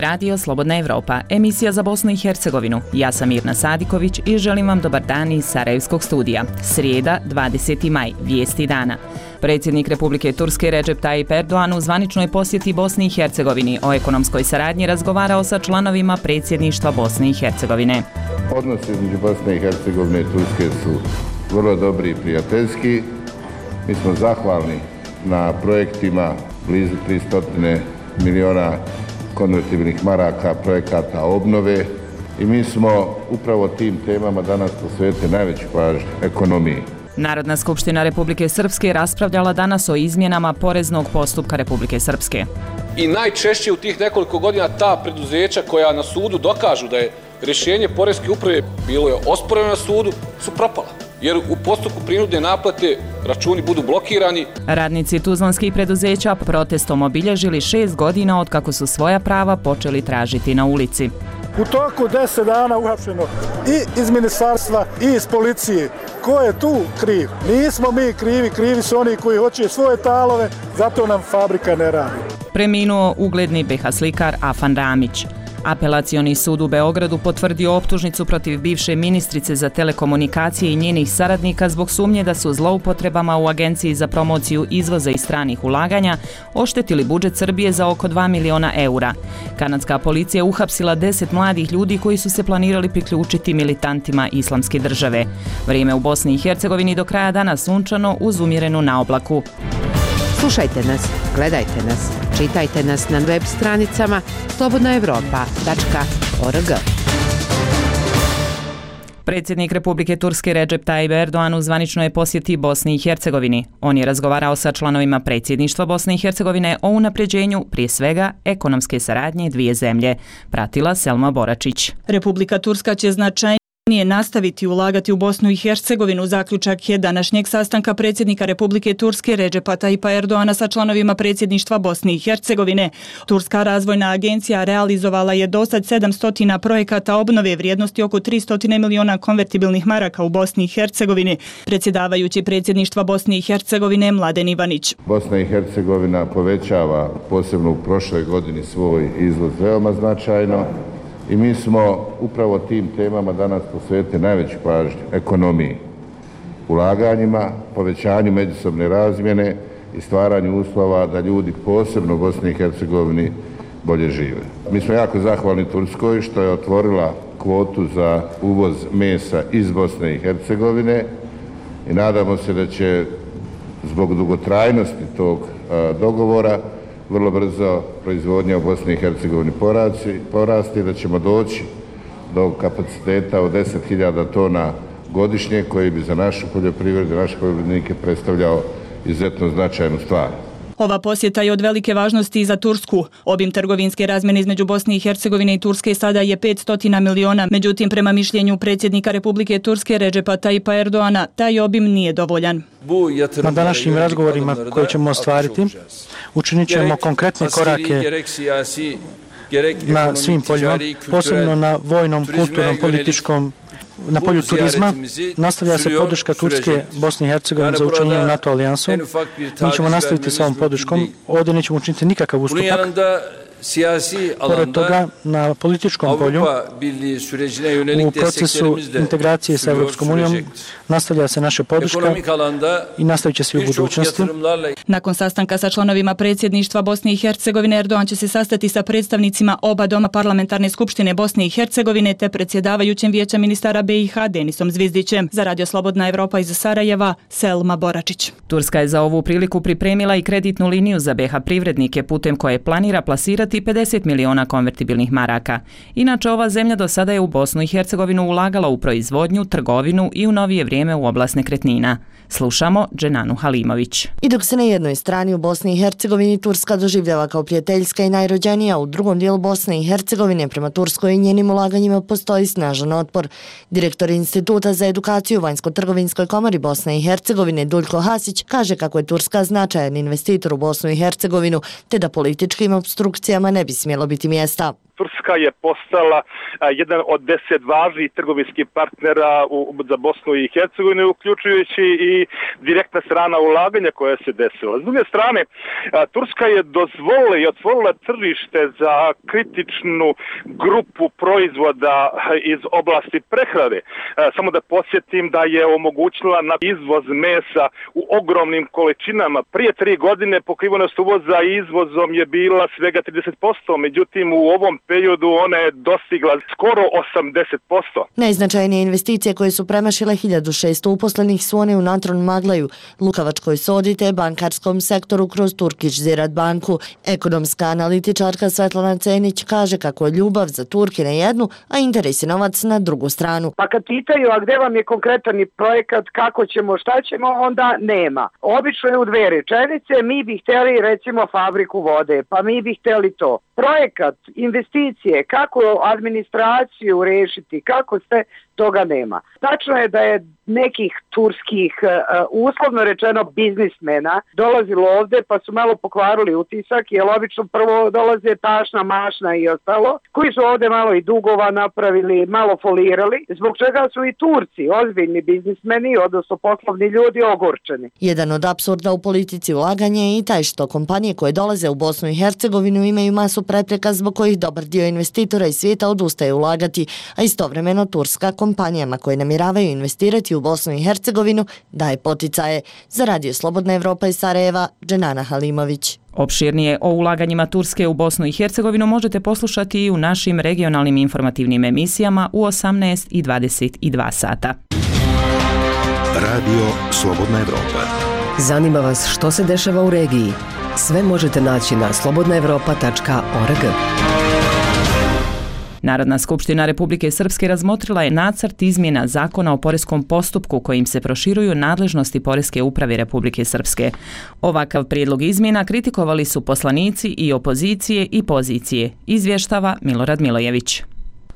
radio Slobodna Evropa, emisija za Bosnu i Hercegovinu. Ja sam Mirna Sadiković i želim vam dobar dan iz Sarajevskog studija. Srijeda, 20. maj, vijesti dana. Predsjednik Republike Turske Recep Tayyip Erdogan u zvaničnoj posjeti Bosni i Hercegovini o ekonomskoj saradnji razgovarao sa članovima predsjedništva Bosne i Hercegovine. Odnosi između Bosne i Hercegovine i Turske su vrlo dobri i prijateljski. Mi smo zahvalni na projektima blizu 300 miliona konvertibilnih maraka, projekata obnove i mi smo upravo tim temama danas posvetili najveću pažnju ekonomiji. Narodna skupština Republike Srpske raspravljala danas o izmjenama poreznog postupka Republike Srpske. I najčešće u tih nekoliko godina ta preduzeća koja na sudu dokažu da je rješenje poreske uprave bilo je osporeno na sudu, su propala. Jer u postupku prinudne naplate računi budu blokirani. Radnici tuzlanskih preduzeća protestom obilježili 6 godina od kako su svoja prava počeli tražiti na ulici. U toku 10 dana uhapšeno i iz ministarstva i iz policije. Ko je tu kriv? Nismo mi krivi, krivi su oni koji hoće svoje talove, zato nam fabrika ne radi. Preminuo ugledni BiH slikar Afan Ramić. Apelacioni sud u Beogradu potvrdio optužnicu protiv bivše ministrice za telekomunikacije i njenih saradnika zbog sumnje da su zloupotrebama u Agenciji za promociju izvoza i stranih ulaganja oštetili budžet Srbije za oko 2 miliona eura. Kanadska policija uhapsila 10 mladih ljudi koji su se planirali priključiti militantima Islamske države. Vrijeme u Bosni i Hercegovini do kraja dana sunčano uz umjerenu naoblaku. Slušajte nas, gledajte nas, čitajte nas na web stranicama slobodnaevropa.org. Predsjednik Republike Turske Recep Tayyip Erdogan u zvaničnoj posjeti Bosni i Hercegovini. On je razgovarao sa članovima predsjedništva Bosne i Hercegovine o unapređenju, prije svega, ekonomske saradnje dvije zemlje. Pratila Selma Boračić. Republika Turska će značajnije nastaviti ulagati u Bosnu i Hercegovinu. Zaključak je današnjeg sastanka predsjednika Republike Turske Recepa Tayyipa Erdogana sa članovima predsjedništva Bosne i Hercegovine. Turska razvojna agencija realizovala je dosad 700 projekata obnove vrijednosti oko 300 miliona konvertibilnih maraka u Bosni i Hercegovini. Predsjedavajući predsjedništva Bosne i Hercegovine Mladen Ivanić. Bosna i Hercegovina povećava, posebno u prošloj godini, svoj izvoz veoma značajno. I mi smo upravo tim temama danas posvetili najveću pažnju ekonomiji, ulaganjima, povećanju međusobne razmjene i stvaranju uslova da ljudi posebno u Bosni i Hercegovini bolje žive. Mi smo jako zahvalni Turskoj što je otvorila kvotu za uvoz mesa iz Bosne i Hercegovine i nadamo se da će zbog dugotrajnosti tog dogovora vrlo brzo proizvodnja u Bosni i Hercegovini porasti, da ćemo doći do kapaciteta od 10.000 tona godišnje koji bi za našu poljoprivredu, naše poljoprivrednike predstavljao izuzetno značajnu stvar. Ova posjeta je od velike važnosti i za Tursku. Obim trgovinske razmjene između Bosne i Hercegovine i Turske sada je 500 miliona. Međutim, prema mišljenju predsjednika Republike Turske Recepa Tayyipa Erdogana, taj obim nije dovoljan. Na današnjim razgovorima koje ćemo ostvariti, učinit ćemo konkretne korake na svim poljima, posebno na vojnom, kulturnom, političkom, na polju turizma. Nastavlja se podrška Turske Bosni i Hercegovine za učlanjenje NATO alijansu. Mi ćemo nastaviti sa ovom podrškom. Ovdje nećemo učiniti nikakav ustupak. Pored toga, na političkom polju, u procesu integracije sa Evropskom unijom, nastavlja se naša podrška i nastavit će se u budućnosti. Nakon sastanka sa članovima predsjedništva Bosne i Hercegovine, Erdogan će se sastati sa predstavnicima oba doma parlamentarne skupštine Bosne i Hercegovine te predsjedavajućem vijeća ministara BiH Denisom Zvizdićem. Za Radio Slobodna Evropa iz Sarajeva, Selma Boračić. Turska je za ovu priliku pripremila i kreditnu liniju za BiH privrednike putem koje planira plasirati 50 miliona konvertibilnih maraka. Inače, ova zemlja do sada je u Bosnu i Hercegovinu ulagala u proizvodnju, trgovinu i u novije vrijeme u oblast nekretnina. Slušamo Dženanu Halimović. I dok se na jednoj strani u Bosni i Hercegovini Turska doživljava kao prijateljska i najrođenija, u drugom dijelu Bosne i Hercegovine prema Turskoj i njenim ulaganjima postoji snažan otpor. Direktor Instituta za edukaciju u Vanjsko-trgovinskoj komori Bosne i Hercegovine Duljko Hasić kaže kako je Turska značajan investitor u Bosnu i Hercegovinu, te da političkim opstrukcijama ne bi smjelo biti mjesta. Turska je postala jedan od 10 važnih trgovinskih partnera za Bosnu i Hercegovinu, uključujući i direktna strana ulaganja koja se desila. S druge strane, Turska je dozvolila i otvorila tržište za kritičnu grupu proizvoda iz oblasti prehrane. Samo da podsjetim da je omogućila na izvoz mesa u ogromnim količinama. Prije 3 godine pokrivenost uvoza izvozom je bila svega 30%, međutim u ovom periodu ona je dostigla skoro 80%. Najznačajnije investicije koje su premašile 1600 uposlenih su one u Natron Maglaju, Lukavačkoj sodi te bankarskom sektoru kroz Turkish Ziraat banku. Ekonomska analitičarka Svetlana Cenić kaže kako je ljubav za Turke na jednu, a interes i novac na drugu stranu. Pa kad pitaju, a gde vam je konkretan projekat, kako ćemo, šta ćemo, onda nema. Obično je u 2 rečenice, mi bi htjeli recimo fabriku vode, pa mi bi htjeli to. Projekat, investicije, kako administraciju rešiti, kako ste, toga nema. Tačno je da je nekih turskih, uslovno rečeno, biznismena dolazilo ovde pa su malo pokvarili utisak, jer obično prvo dolaze tašna, mašna i ostalo, koji su ovde malo i dugova napravili, malo folirali, zbog čega su i Turci, ozbiljni biznismeni, odnosno poslovni ljudi, ogorčeni. Jedan od apsurda u politici ulaganja je i taj što kompanije koje dolaze u Bosnu i Hercegovinu imaju masu prepreka zbog kojih dobar dio investitora iz svijeta odustaje ulagati, a istovremeno turska kompanijama koje namjeravaju investirati u Bosnu i Hercegovinu daje poticaje. Za Radio Slobodna Evropa iz Sarajeva, Dženana Halimović. Opširnije o ulaganjima Turske u Bosnu i Hercegovinu možete poslušati i u našim regionalnim informativnim emisijama u 18 i 22 sata. Radio Slobodna Evropa. Zanima vas što se dešava u regiji? Sve možete naći na slobodnaevropa.org. Narodna skupština Republike Srpske razmotrila je nacrt izmjena Zakona o poreskom postupku kojim se proširuju nadležnosti Poreske uprave Republike Srpske. Ovakav prijedlog izmjena kritikovali su poslanici i opozicije i pozicije, izvještava Milorad Milojević.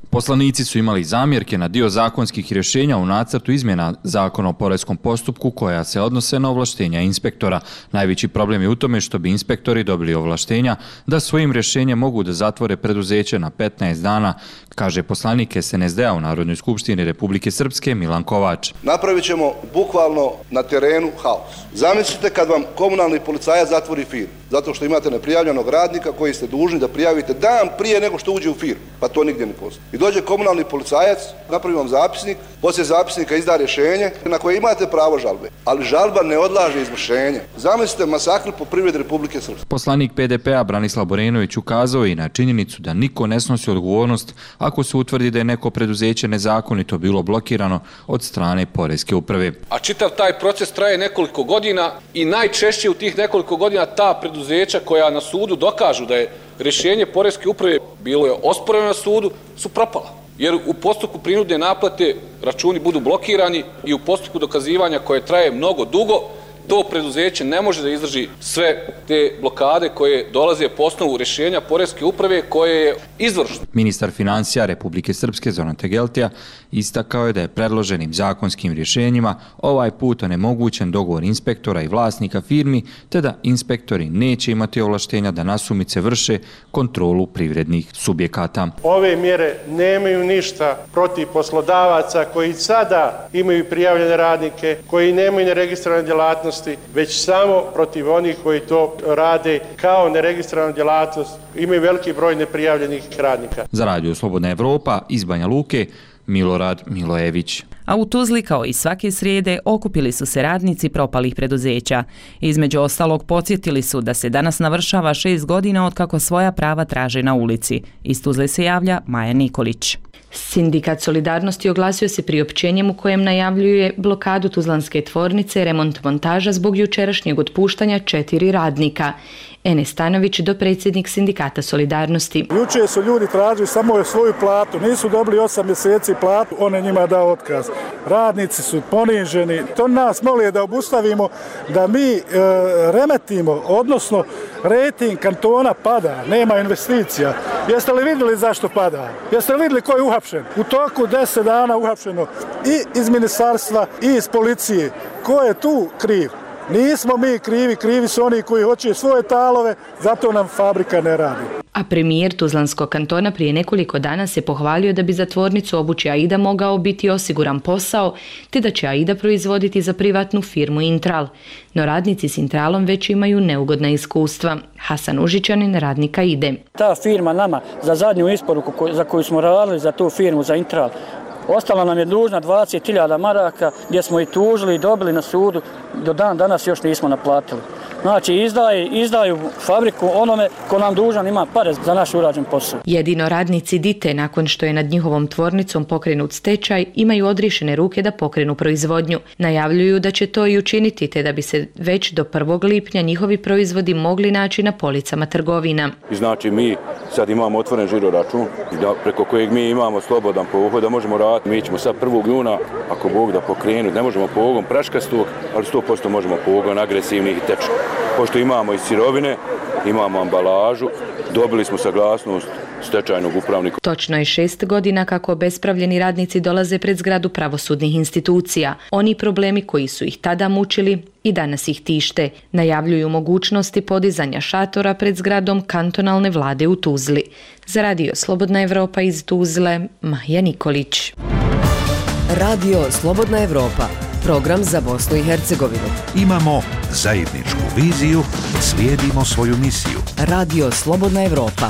Poslanici su imali zamjerke na dio zakonskih rješenja u nacrtu izmjena Zakona o poreskom postupku koja se odnose na ovlaštenja inspektora. Najveći problem je u tome što bi inspektori dobili ovlaštenja da svojim rješenjem mogu da zatvore preduzeće na 15 dana, kaže poslanik SNSD-a u Narodnoj skupštini Republike Srpske Milan Kovač. Napravit ćemo bukvalno na terenu haos. Zamislite kad vam komunalni policajac zatvori firmu, zato što imate neprijavljenog radnika koji ste dužni da prijavite dan prije nego što uđe u firmu, pa to nigdje ne postoji. I dođe komunalni policajac, napravi vam zapisnik, poslije zapisnika izda rješenje na koje imate pravo žalbe, ali žalba ne odlaže izvršenje. Zamislite masakr po privredi Republike Srpske. Poslanik PDP-a Branislav Borenović ukazao i na činjenicu da niko ne snosi odgovornost ako se utvrdi da je neko preduzeće nezakonito bilo blokirano od strane Poreske uprave. A čitav taj proces traje nekoliko godina i najčešće u tih nekoliko godina ta preduzeća koja na sudu dokažu da je rješenje Poreske uprave bilo je osporeno na sudu, su propala. Jer u postupku prinudne naplate računi budu blokirani i u postupku dokazivanja koje traje mnogo dugo, to preduzeće ne može da izdrži sve te blokade koje dolaze po osnovu rješenja Poreske uprave koje je izvršno. Ministar financija Republike Srpske Zoran Tegeltija istakao je da je predloženim zakonskim rješenjima ovaj put onemogućen dogovor inspektora i vlasnika firmi, te da inspektori neće imati ovlaštenja da nasumice vrše kontrolu privrednih subjekata. Ove mjere nemaju ništa protiv poslodavaca koji sada imaju prijavljene radnike, koji nemaju neregistrovane djelatnosti, već samo protiv onih koji to rade kao neregistrovanu djelatnost, imaju veliki broj neprijavljenih radnika. Za Radio Slobodna Evropa iz Banja Luke, Milorad Milojević. A u Tuzli, kao i svake srijede, okupili su se radnici propalih preduzeća. Između ostalog, podsjetili su da se danas navršava 6 godina od kako svoja prava traže na ulici. Iz Tuzle se javlja Maja Nikolić. Sindikat Solidarnosti oglasio se priopćenjem u kojem najavljuje blokadu tuzlanske tvornice remont montaža zbog jučerašnjeg otpuštanja 4 radnika. Enes Stanović, dopredsjednik Sindikata Solidarnosti. Juče su ljudi tražili samo svoju platu, nisu dobili 8 mjeseci platu, on je njima dao otkaz. Radnici su poniženi, to nas moli da obustavimo, da mi remetimo, odnosno rejting kantona pada, nema investicija. Jeste li vidjeli zašto pada? Jeste li vidjeli ko je uhapšen? U toku 10 dana uhapšeno i iz ministarstva i iz policije. Ko je tu kriv? Nismo mi krivi, krivi su oni koji hoće svoje talove, zato nam fabrika ne radi. A premijer Tuzlanskog kantona prije nekoliko dana se pohvalio da bi za tvornicu obuće Aida mogao biti osiguran posao, te da će Aida proizvoditi za privatnu firmu Intral. No radnici s Intralom već imaju neugodna iskustva. Hasan Užičanin, radnik Aide. Ta firma nama za zadnju isporuku za koju smo radili za tu firmu, za Intral, ostala nam je dužna 20.000 maraka gdje smo i tužili i dobili na sudu, do dan danas još nismo naplatili. Znači izdaju fabriku onome ko nam dužan ima pare za naš urađen posao. Jedino radnici Dite, nakon što je nad njihovom tvornicom pokrenut stečaj, imaju odriješene ruke da pokrenu proizvodnju. Najavljuju da će to i učiniti, te da bi se već do 1. lipnja njihovi proizvodi mogli naći na policama trgovina. I znači mi sad imamo otvoren žiro račun, preko kojeg mi imamo slobodan pohod da možemo raditi. Mi ćemo sad 1. juna, ako Bog da pokrenu, ne možemo pogon praškastog, ali 100% možemo pogon agresivnih i tečnih. Pošto imamo i sirovine, imamo ambalažu, dobili smo saglasnost stečajnog upravnika. Točno je 6 godina kako obespravljeni radnici dolaze pred zgradu pravosudnih institucija. Oni problemi koji su ih tada mučili i danas ih tište. Najavljuju mogućnosti podizanja šatora pred zgradom kantonalne vlade u Tuzli. Za Radio Slobodna Evropa iz Tuzle, Maja Nikolić. Radio Slobodna Evropa. Program za Bosnu i Hercegovinu. Imamo zajedničku viziju, slijedimo svoju misiju. Radio Slobodna Evropa.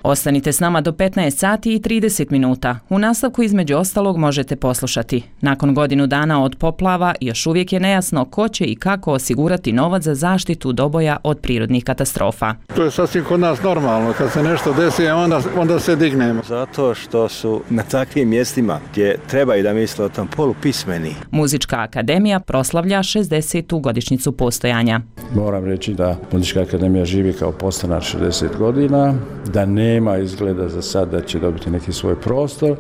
Ostanite s nama do 15 sati i 30 minuta. U nastavku između ostalog možete poslušati. Nakon godinu dana od poplava još uvijek je nejasno ko će i kako osigurati novac za zaštitu Doboja od prirodnih katastrofa. To je sasvim kod nas normalno. Kad se nešto desi, onda se dignemo. Zato što su na takvim mjestima gdje treba i da misle o tom polupismeni. Muzička akademija proslavlja 60. godišnjicu postojanja. Moram reći da Muzička akademija živi kao postanar 60 godina, da nema izgleda za sad da će dobiti neki svoj prostor.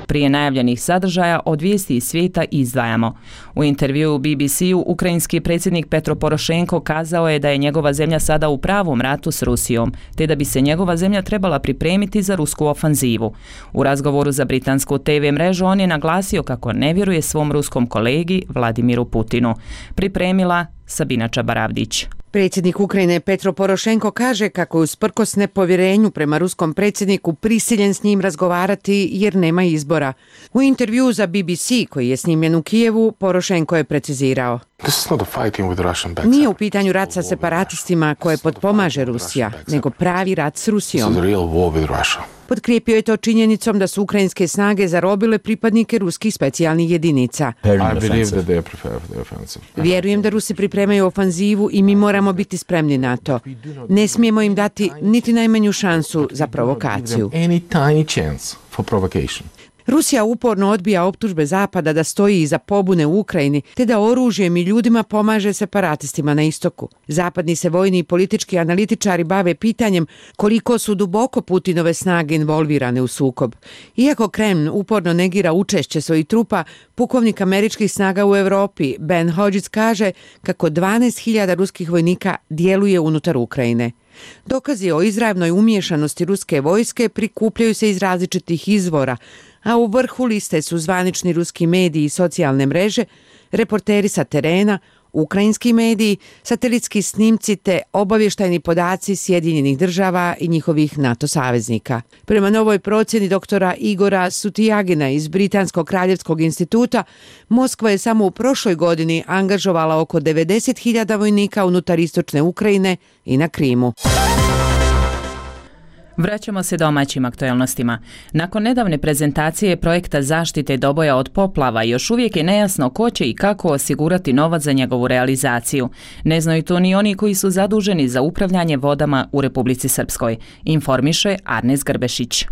Prije najavljenih sadržaja od vijesti iz svijeta izdvajamo. U intervjuu BBC-u ukrajinski predsjednik Petro Porošenko kazao je da je njegova zemlja sada u pravom ratu s Rusijom, te da bi se njegova zemlja trebala pripremiti za rusku ofanzivu. U razgovoru za britansku TV mrežu on je naglasio kako ne vjeruje svom ruskom kolegi Vladimiru Putinu. Pripremila Sabina Čabaravdić. Predsjednik Ukrajine Petro Porošenko kaže kako je usprkos nepovjerenju prema ruskom predsjedniku prisiljen s njim razgovarati jer nema izbora. U intervjuu za BBC koji je snimljen u Kijevu, Porošenko je precizirao: nije u pitanju rat sa separatistima koje potpomaže Rusija, nego pravi rat s Rusijom. Potkrijepio je to činjenicom da su ukrajinske snage zarobile pripadnike ruskih specijalnih jedinica. Vjerujem da Rusi pripremaju ofanzivu i mi moramo biti spremni na to. Ne smijemo im dati niti najmanju šansu za provokaciju. Rusija uporno odbija optužbe Zapada da stoji iza pobune u Ukrajini, te da oružjem i ljudima pomaže separatistima na istoku. Zapadni se vojni i politički analitičari bave pitanjem koliko su duboko Putinove snage involvirane u sukob. Iako Kreml uporno negira učešće svojih trupa, pukovnik američkih snaga u Europi Ben Hodges kaže kako 12.000 ruskih vojnika djeluje unutar Ukrajine. Dokazi o izravnoj umiješanosti ruske vojske prikupljaju se iz različitih izvora, a u vrhu liste su zvanični ruski mediji i socijalne mreže, reporteri sa terena, ukrajinski mediji, satelitski snimci te obavještajni podaci Sjedinjenih država i njihovih NATO saveznika. Prema novoj procjeni doktora Igora Sutijagina iz Britanskog kraljevskog instituta, Moskva je samo u prošloj godini angažovala oko 90.000 vojnika unutar istočne Ukrajine i na Krimu. Vraćamo se domaćim aktualnostima. Nakon nedavne prezentacije projekta zaštite Doboja od poplava, još uvijek je nejasno ko će i kako osigurati novac za njegovu realizaciju. Ne znaju to ni oni koji su zaduženi za upravljanje vodama u Republici Srpskoj, informiše Arnes Grbešić.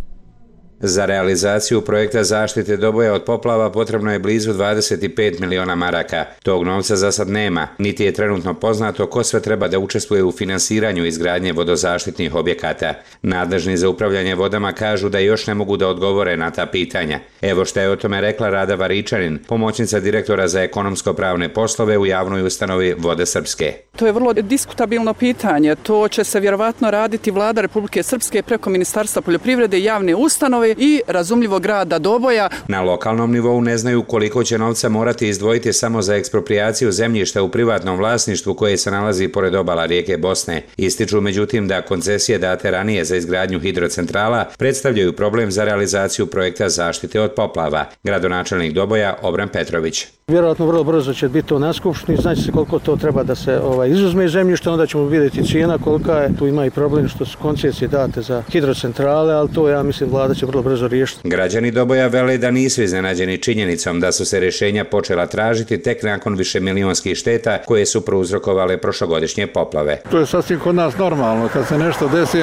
Za realizaciju projekta zaštite Doboja od poplava potrebno je blizu 25 miliona maraka. Tog novca za sad nema, niti je trenutno poznato ko sve treba da učestvuje u finansiranju izgradnje vodozaštitnih objekata. Nadležni za upravljanje vodama kažu da još ne mogu da odgovore na ta pitanja. Evo što je o tome rekla Rada Varičanin, pomoćnica direktora za ekonomsko-pravne poslove u javnoj ustanovi Vode Srpske. To je vrlo diskutabilno pitanje. To će se vjerovatno raditi Vlada Republike Srpske preko Ministarstva poljoprivrede i javne ustanove i razumljivo grada Doboja. Na lokalnom nivou ne znaju koliko će novca morati izdvojiti samo za eksproprijaciju zemljišta u privatnom vlasništvu koje se nalazi pored obala rijeke Bosne. Ističu međutim da koncesije date ranije za izgradnju hidrocentrala predstavljaju problem za realizaciju projekta zaštite od poplava. Gradonačelnik Doboja Obran Petrović. Vjerojatno vrlo brzo će biti to na skupštini, znači se koliko to treba da se izuzme iz zemljišta, onda ćemo vidjeti cijena kolika je. Tu ima i problem što su koncesije date za hidrocentrale, ali to ja mislim vlada će vrlo brzo riješiti. Građani Doboja vele da nisu iznenađeni činjenicom da su se rješenja počela tražiti tek nakon višemilionskih šteta koje su prouzrokovale prošlogodišnje poplave. To je sasvim kod nas normalno, kad se nešto desi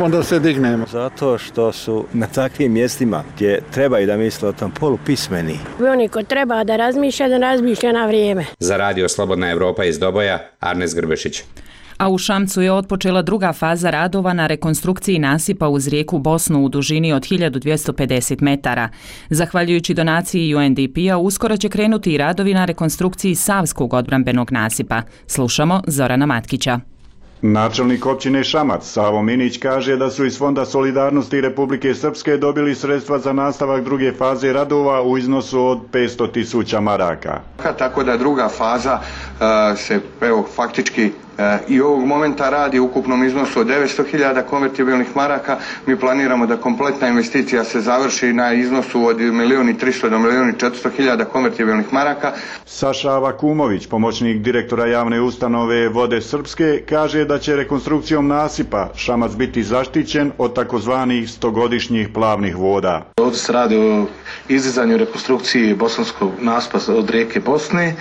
onda se dignemo. Zato što su na takvim mjestima gdje treba i da misle o tom polupismeni. Oni ko treba da razmišlja na vrijeme. Za Radio Slobodna Evropa iz Doboja, Arnes Grbešić. A u Šamcu je otpočela druga faza radova na rekonstrukciji nasipa uz rijeku Bosnu u dužini od 1250 metara. Zahvaljujući donaciji UNDP-a, uskoro će krenuti i radovi na rekonstrukciji Savskog odbrambenog nasipa. Slušamo Zorana Matkića. Načelnik općine Šamac, Savo Minić, kaže da su iz Fonda solidarnosti Republike Srpske dobili sredstva za nastavak druge faze radova u iznosu od 500.000 maraka. Tako da druga faza se faktički i ovog momenta radi u ukupnom iznosu od 900.000 konvertibilnih maraka. Mi planiramo da kompletna investicija se završi na iznosu od 1.300.000 do 1.400.000 konvertibilnih maraka. Saša Avakumović, pomoćnik direktora javne ustanove Vode Srpske, kaže da će rekonstrukcijom nasipa Šamac biti zaštićen od takozvanih 100-godišnjih plavnih voda. Ovdje se radi o izdizanju rekonstrukciji bosanskog nasipa od rijeke Bosne.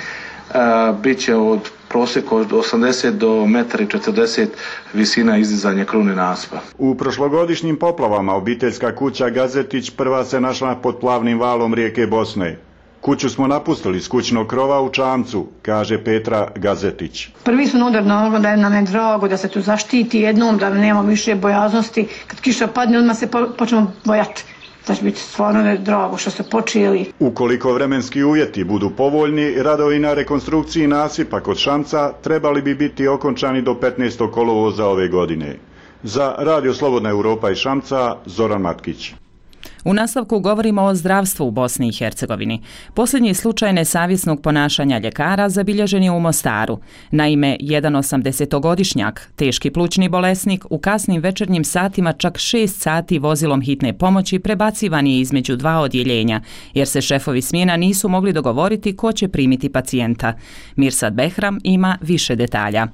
Biće od prosjeka od 80 do 1,40 m visina izdizanja krune nasipa. U prošlogodišnjim poplavama obiteljska kuća Gazetić prva se našla pod plavnim valom rijeke Bosne. Kuću smo napustili s kućnog krova u Čamcu, kaže Petra Gazetić. Prvi su udar na ovo da nam je drago da se tu zaštiti jednom, da nema više bojaznosti. Kad kiša padne, odmah se počnemo bojati. Da će biti stvarno drago što ste počeli. Ukoliko vremenski uvjeti budu povoljni, radovi na rekonstrukciji nasipa kod Šamca trebali bi biti okončani do 15. kolovoza ove godine. Za Radio Slobodna Evropa iz Šamca, Zoran Matkić. U nastavku govorimo o zdravstvu u Bosni i Hercegovini. Posljednji slučaj nesavjesnog ponašanja ljekara zabilježen je u Mostaru. Naime, jedan 80-godišnjak, teški plućni bolesnik, u kasnim večernjim satima čak 6 sati vozilom hitne pomoći prebacivan je između dva odjeljenja, jer se šefovi smjena nisu mogli dogovoriti ko će primiti pacijenta. Mirsad Behram ima više detalja.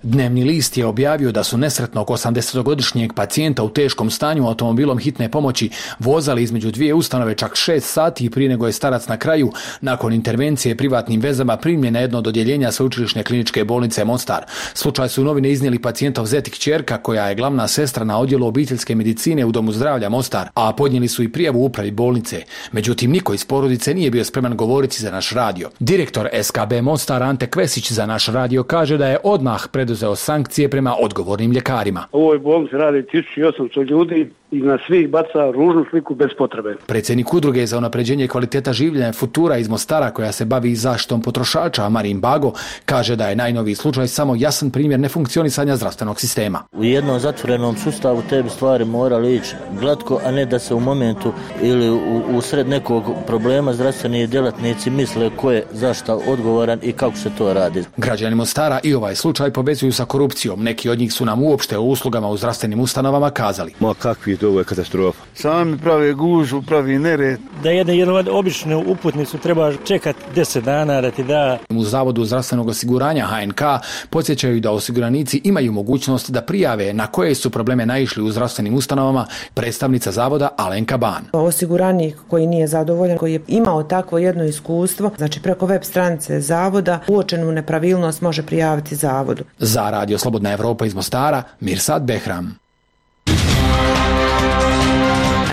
Dnevni list je objavio da su nesretnog 80-godišnjeg pacijenta u teškom stanju automobilom hitne pomoći vozali između dvije ustanove čak 6 sati prije nego je starac na kraju, nakon intervencije privatnim vezama, primljen na jedno od odjeljenja Sveučilišne kliničke bolnice Mostar. Slučaj su u novine iznijeli pacijentov zet i kćerka, koja je glavna sestra na odjelu obiteljske medicine u Domu zdravlja Mostar, a podnijeli su i prijavu upravi bolnice. Međutim, niko iz porodice nije bio spreman govoriti za naš radio. Direktor SKB Mostar Ante Kvesić za naš radio kaže da je odmah preduzeo sankcije prema odgovornim ljekarima. U ovoj bolnici radi 1800 ljudi i na svih baca ružnu sliku bez potrebe. Predsjednik udruge za unapređenje kvaliteta življenja Futura iz Mostara, koja se bavi zaštitom potrošača, Marin Bago, kaže da je najnoviji slučaj samo jasan primjer nefunkcionisanja zdravstvenog sistema. U jednom zatvorenom sustavu te bi stvari morali ići glatko, a ne da se u momentu ili u sred nekog problema zdravstveni djelatnici misle ko je zašto odgovoran i kako se to radi. Građani Mostara i ovaj slučaj povezuju sa korupcijom. Neki od njih su nam uopšte o uslugama u zdravstvenim ustanovama kazali. Ma kakvi, ovo je katastrofa. Sami pravi gužu, pravi nered. Da jednu običnu uputnicu treba čekati 10 dana da ti da. U Zavodu zdravstvenog osiguranja HNK podsjećaju da osiguranici imaju mogućnost da prijave na koje su probleme naišli u zdravstvenim ustanovama predstavnica zavoda Alenka Ban. Osiguranik koji nije zadovoljan, koji je imao takvo jedno iskustvo, znači preko web stranice zavoda, uočenu nepravilnost može prijaviti zavodu. Za Radio Slobodna Evropa iz Mostara, Mirsad Behram.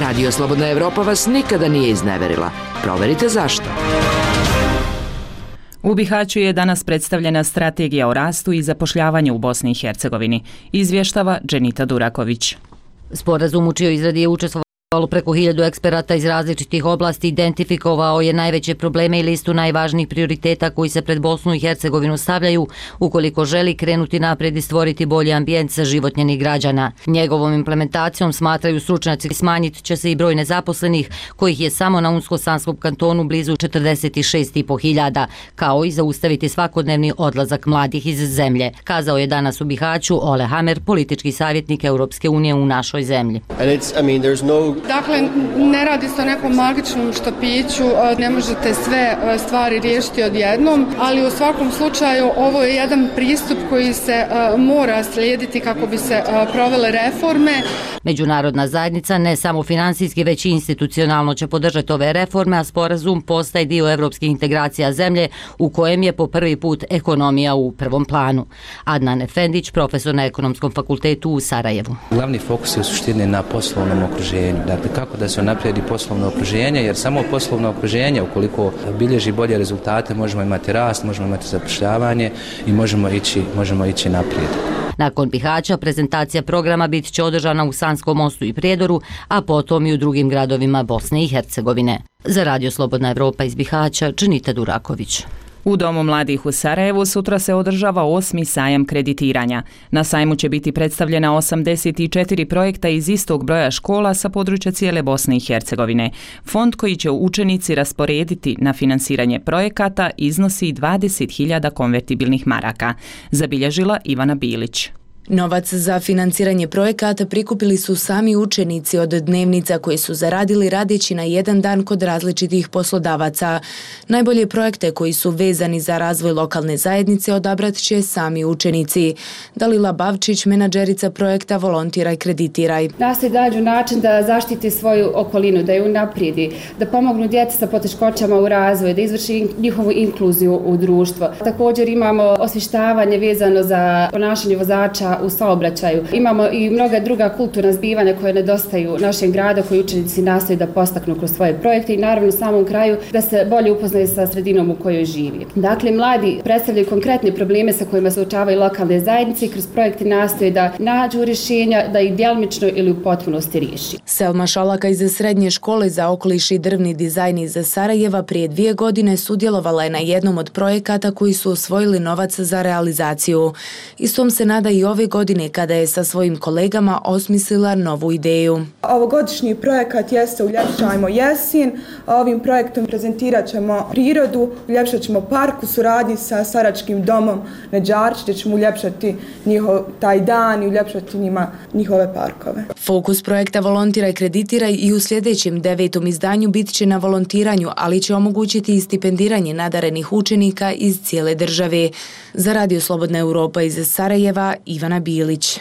Radio Slobodna Evropa vas nikada nije izneverila. Proverite zašto. U Bihaću je danas predstavljena strategija o rastu i zapošljavanju u Bosni i Hercegovini. Izvještava Dženita Duraković. Sporazum u čijoj izradi je učestvovao Preko 1000 eksperata iz različitih oblasti identifikovao je najveće probleme i listu najvažnijih prioriteta koji se pred Bosnu i Hercegovinu stavljaju ukoliko želi krenuti naprijed i stvoriti bolji ambijent za život njenih građana. Njegovom implementacijom, smatraju stručnjaci, smanjit će se i broj nezaposlenih, kojih je samo na Unsko-Sanskom kantonu blizu 46.500, kao i zaustaviti svakodnevni odlazak mladih iz zemlje, kazao je danas u Bihaću Ole Hamer, politički savjetnik Europske unije u našoj zemlji. Dakle, ne radi se o nekom magičnom štapiću, ne možete sve stvari riješiti odjednom, ali u svakom slučaju ovo je jedan pristup koji se mora slijediti kako bi se provele reforme. Međunarodna zajednica ne samo finansijski, već i institucionalno će podržati ove reforme, a sporazum postaje dio evropskih integracija zemlje u kojem je po prvi put ekonomija u prvom planu. Adnan Efendić, profesor na Ekonomskom fakultetu u Sarajevu. Glavni fokus je u suštini na poslovnom okruženju. Dakle, kako da se unaprijedi poslovno okruženje, jer samo poslovno okruženje, ukoliko bilježi bolje rezultate, možemo imati rast, možemo imati zapošljavanje i možemo ići naprijed. Nakon Bihaća prezentacija programa bit će održana u Sanskom Mostu i Prijedoru, a potom i u drugim gradovima Bosne i Hercegovine. Za Radio Slobodna Evropa iz Bihaća, Čenita Duraković. U Domu mladih u Sarajevu sutra se održava 8. sajam kreditiranja. Na sajmu će biti predstavljena 84 projekta iz istog broja škola sa područja cijele Bosne i Hercegovine. Fond koji će učenici rasporediti na finansiranje projekata iznosi 20.000 konvertibilnih maraka, zabilježila Ivana Bilić. Novac za financiranje projekata prikupili su sami učenici od dnevnica koje su zaradili radeći na jedan dan kod različitih poslodavaca. Najbolje projekte koji su vezani za razvoj lokalne zajednice odabrat će sami učenici. Dalila Bavčić, menadžerica projekta Volontiraj, kreditiraj. Nastoji da nađu način da zaštiti svoju okolinu, da ju unaprijedi, da pomognu djeci sa poteškoćama u razvoju, da izvrši njihovu inkluziju u društvo. Također imamo osvještavanje vezano za ponašanje vozača u saobraćaju. Imamo i mnoga druga kulturna zbivanja koje nedostaju našem gradu, koji učenici nastoji da postaknu kroz svoje projekte i naravno u samom kraju da se bolje upoznaju sa sredinom u kojoj živi. Dakle, mladi predstavljaju konkretne probleme sa kojima se suočavaju lokalne zajednice i kroz projekte nastoje da nađu rješenja, da ih djelomično ili u potpunosti riješi. Selma Šolaka iz Srednje škole za okoliš i drvni dizajn iz Sarajeva prije 2 godine sudjelovala je na jednom od projekata koji su osvojili novac za realizaciju. Istom se nada i ove godine kada je sa svojim kolegama osmislila novu ideju. Ovogodišnji projekat jeste Uljepšajmo jesen. Ovim projektom prezentirat ćemo prirodu, uljepšat ćemo park u suradnji sa Saračkim domom Neđarč, gdje ćemo uljepšati taj dan i uljepšati njihove parkove. Fokus projekta Volontiraj, kreditiraj i u sljedećem 9. izdanju bit će na volontiranju, ali će omogućiti i stipendiranje nadarenih učenika iz cijele države. Za Radio Slobodna Evropa iz Sarajeva, Ivana Bilić.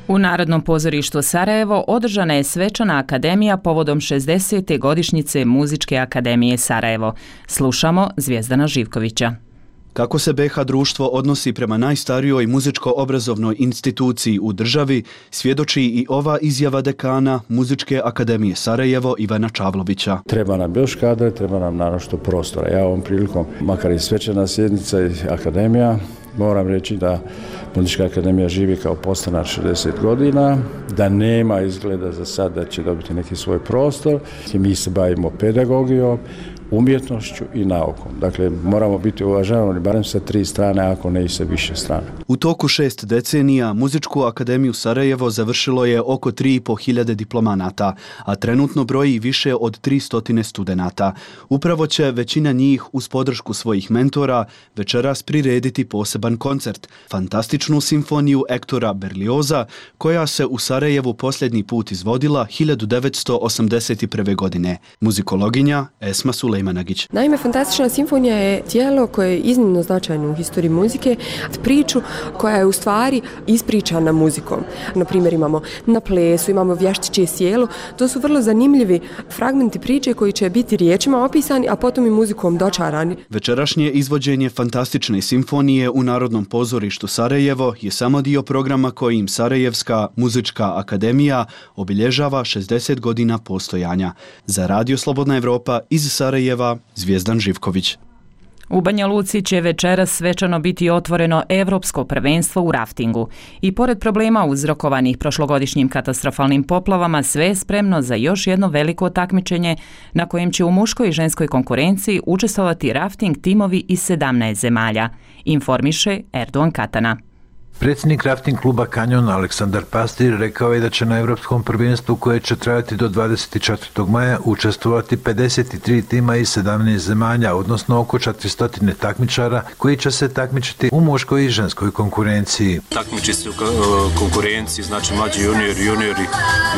U Narodnom pozorištu Sarajevo održana je svečana akademija povodom 60. godišnjice Muzičke akademije Sarajevo. Slušamo Zvijezdana Živkovića. Kako se BiH društvo odnosi prema najstarijoj muzičko-obrazovnoj instituciji u državi, svjedoči i ova izjava dekana Muzičke akademije Sarajevo Ivana Čavlovića. Treba nam još kadra, treba nam naročito prostora. Ja ovom prilikom, makar i svečana sjednica i akademija, moram reći da Muzička akademija živi kao podstanar 60 godina, da nema izgleda za sad da će dobiti neki svoj prostor. Mi se bavimo pedagogijom, umjetnošću i naukom. Dakle, moramo biti uvažavani barem sa 3 strane, ako ne i sa više strane. U toku 6 decenija Muzičku akademiju Sarajevo završilo je oko 3.500 diplomanata, a trenutno broji više od 300 studenata. Upravo će većina njih uz podršku svojih mentora večeras prirediti poseban koncert, fantastičnu simfoniju Ektora Berlioza, koja se u Sarajevu posljednji put izvodila 1981. godine. Muzikologinja Esma Sulejmanagić. Naime, fantastična simfonija je tijelo koje je iznimno značajno u historiji muzike, priču koja je u stvari ispričana muzikom. Na primjer, imamo na plesu, imamo vještičje sjelo. To su vrlo zanimljivi fragmenti priče koji će biti riječima opisani, a potom i muzikom dočarani. Večerašnje izvođenje fantastične simfonije u Narodnom pozorištu Sarajevo je samo dio programa kojim Sarajevska muzička akademija obilježava 60 godina postojanja. Za Radio Slobodna Evropa iz Sarajeva, Zvijezdan Živković. U Banja Luci će večeras svečano biti otvoreno Evropsko prvenstvo u raftingu i pored problema uzrokovanih prošlogodišnjim katastrofalnim poplavama sve je spremno za još jedno veliko takmičenje na kojem će u muškoj i ženskoj konkurenciji učestvovati rafting timovi iz 17 zemalja, informiše Erdogan Katana. Predsjednik rafting kluba Kanjon Aleksandar Pastir rekao je da će na Europskom prvenstvu koje će trajati do 24. maja učestvovati 53 tima iz 17 zemalja, odnosno oko 400 takmičara koji će se takmičiti u muškoj i ženskoj konkurenciji. Takmiči se u konkurenciji, znači mlađi juniori,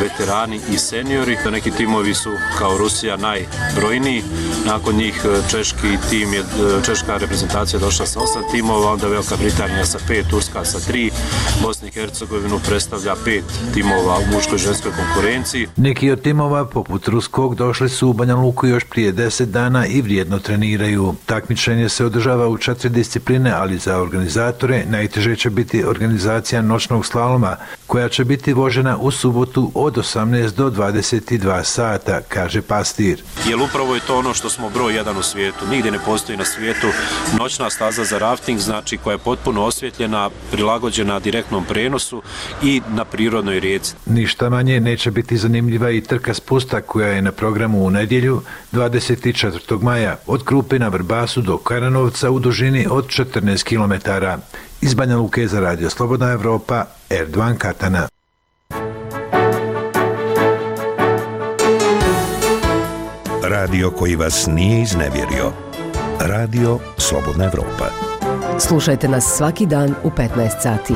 veterani i seniori. Neki timovi su kao Rusija najbrojniji, nakon njih češka reprezentacija došla sa 8 timova, onda Velika Britanija sa 5, Turska sa 3, Bosna i Hercegovinu predstavlja 5 timova u muškoj i ženskoj konkurenciji. Neki od timova, poput ruskog, došli su u Banja Luku još prije 10 dana i vrijedno treniraju. Takmičenje se održava u 4 discipline, ali za organizatore najteže će biti organizacija noćnog slaloma, koja će biti vožena u subotu od 18 do 22 sata, kaže Pastir. Jer upravo je to ono što smo broj 1 u svijetu. Nigdje ne postoji na svijetu noćna staza za rafting, znači koja je potpuno osvjetljena, prilagođena direktnom prenosu i na prirodnoj rijeci. Ništa manje neće biti zanimljiva i trka spusta koja je na programu u nedjelju 24. maja od Krupe na Vrbasu do Karanovca u dužini od 14 km. Iz Banja Luke za Radio Slobodna Evropa, Erdogan Katana. Radio koji vas nije iznevjerio. Radio Slobodna Evropa. Slušajte nas svaki dan u 15 sati.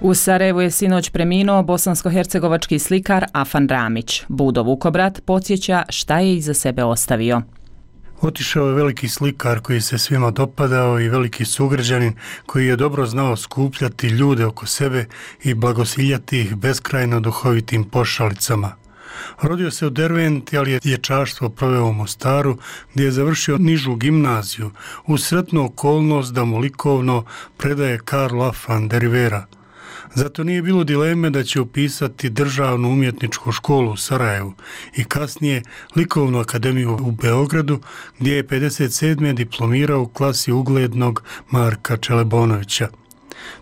U Sarajevu je sinoć preminuo bosansko-hercegovački slikar Afan Ramić. Budo Vukobrat podsjeća šta je iza sebe ostavio. Otišao je veliki slikar koji se svima dopadao i veliki sugrađanin koji je dobro znao skupljati ljude oko sebe i blagosiljati ih beskrajno duhovitim pošalicama. Rodio se u Derventi, ali je dječaštvo proveo u Mostaru, gdje je završio nižu gimnaziju, uz sretnu okolnost da mu likovno predaje Karl Afan de Rivera. Zato nije bilo dileme da će upisati državnu umjetničku školu u Sarajevu i kasnije likovnu akademiju u Beogradu, gdje je 57. diplomirao u klasi uglednog Marka Čelebonovića.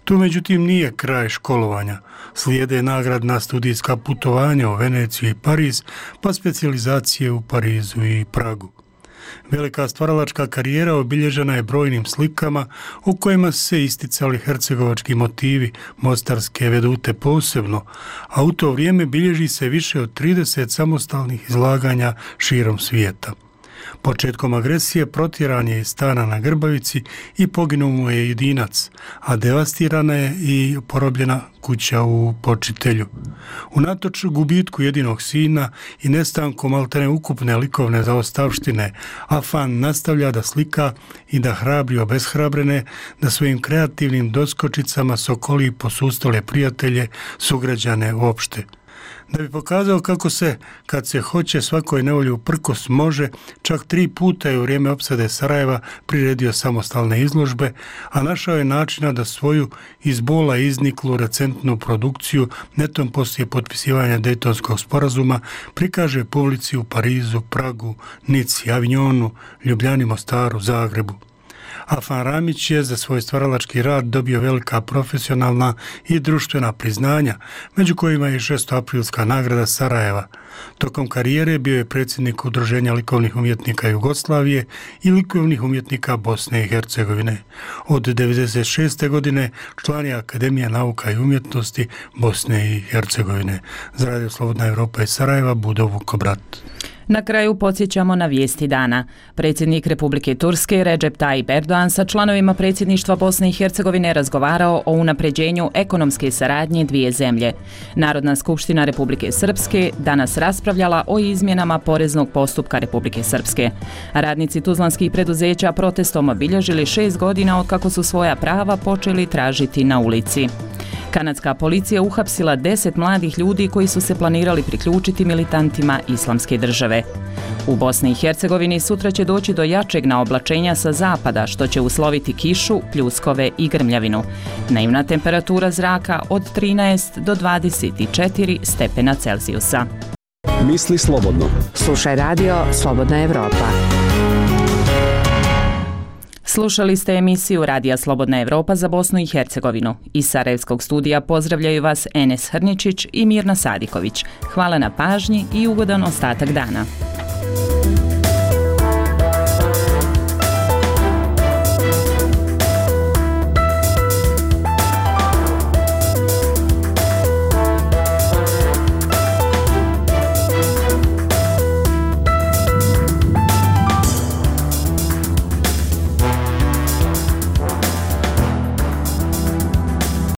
Tu međutim nije kraj školovanja. Slijede nagradna studijska putovanja u Veneciju i Pariz, pa specijalizacije u Parizu i Pragu. Velika stvaralačka karijera obilježena je brojnim slikama u kojima su se isticali hercegovački motivi, mostarske vedute posebno, a u to vrijeme bilježi se više od 30 samostalnih izlaganja širom svijeta. Početkom agresije protjeran je iz stana na Grbavici i poginuo mu je jedinac, a devastirana je i porobljena kuća u Počitelju. Unatoč gubitku jedinog sina i nestankom maltene ukupne likovne zaostavštine, Afan nastavlja da slika i da hrabri obeshrabrene, da svojim kreativnim doskočicama sokoli posustale prijatelje, sugrađane uopšte. Da bi pokazao kako se, kad se hoće svakoj nevolji uprkos može, čak 3 puta je u vrijeme opsade Sarajeva priredio samostalne izložbe, a našao je načina da svoju iz bola izniklu recentnu produkciju netom poslije potpisivanja Dejtonskog sporazuma prikaže publici u Parizu, Pragu, Nici, Avignonu, Ljubljani, Mostaru, Zagrebu. Afan Ramić je za svoj stvaralački rad dobio velika profesionalna i društvena priznanja, među kojima je 6. nagrada Sarajeva. Tokom karijere bio je predsjednik Udruženja likovnih umjetnika Jugoslavije i likovnih umjetnika Bosne i Hercegovine. Od 1996. godine član je Akademije nauka i umjetnosti Bosne i Hercegovine. Za Radio Slobodna Evropa iz Sarajeva, Budo Vukobrat. Na kraju podsjećamo na vijesti dana. Predsjednik Republike Turske Recep Tayyip Erdogan sa članovima predsjedništva Bosne i Hercegovine razgovarao o unapređenju ekonomske saradnje dvije zemlje. Narodna skupština Republike Srpske danas raspravljala o izmjenama poreznog postupka Republike Srpske. Radnici tuzlanskih preduzeća protestom obilježili 6 godina od kako su svoja prava počeli tražiti na ulici. Kanadska policija uhapsila 10 mladih ljudi koji su se planirali priključiti militantima Islamske države. U Bosni i Hercegovini sutra će doći do jačeg naoblačenja sa zapada, što će usloviti kišu, pljuskove i grmljavinu. Dnevna temperatura zraka od 13 do 24 stepena Celzijusa. Misli slobodno. Slušaj radio Slobodna Evropa. Slušali ste emisiju Radija Slobodna Evropa za Bosnu i Hercegovinu. Iz Sarajevskog studija pozdravljaju vas Enes Hrničić i Mirna Sadiković. Hvala na pažnji i ugodan ostatak dana.